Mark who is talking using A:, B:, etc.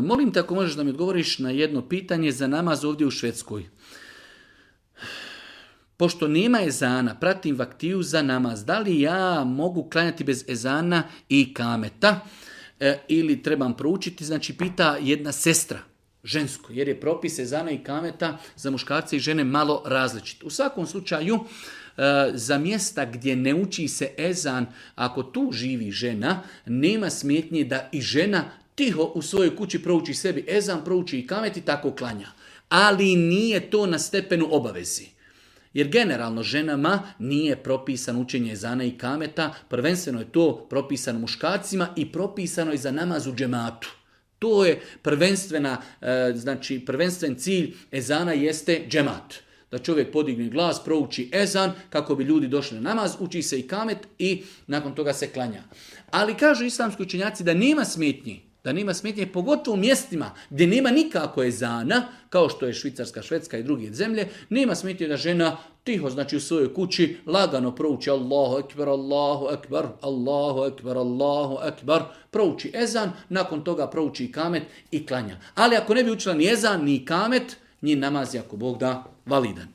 A: Molim te ako možeš da mi odgovoriš na jedno pitanje za namaz ovdje u Švedskoj. Pošto nema ezana, pratim vaktiju za namaz. Da li ja mogu klanjati bez ezana i kameta? Ili trebam proučiti? Znači, pita jedna sestra, žensko, jer je propis ezana i kameta za muškarce i žene malo različit. U svakom slučaju, za mjesta gdje ne uči se ezan, ako tu živi žena, nema smetnje da i žena tiho u svojoj kući prouči sebi ezan, prouči i kamet i tako klanja. Ali nije to na stepenu obavezi. Jer generalno ženama nije propisano učenje ezana i kameta, prvenstveno je to propisano muškarcima i propisano je za namaz u džematu. To je prvenstven cilj ezana jeste džemat. Da čovjek podigne glas, prouči ezan kako bi ljudi došli na namaz, uči se i kamet i nakon toga se klanja. Ali kažu islamski učenjaci da nema smetnje, pogotovo u mjestima gdje nema nikako ezana, kao što je Švicarska, Švedska i druge zemlje, nema smetnje da žena tiho, znači u svojoj kući, lagano prouči Allahu ekber, Allahu ekber, Allahu ekber, Allahu ekber, prouči ezan, nakon toga prouči kamet i klanja. Ali ako ne bi učila ni ezan, ni kamet, njen namaz je, ako Bog da, validan.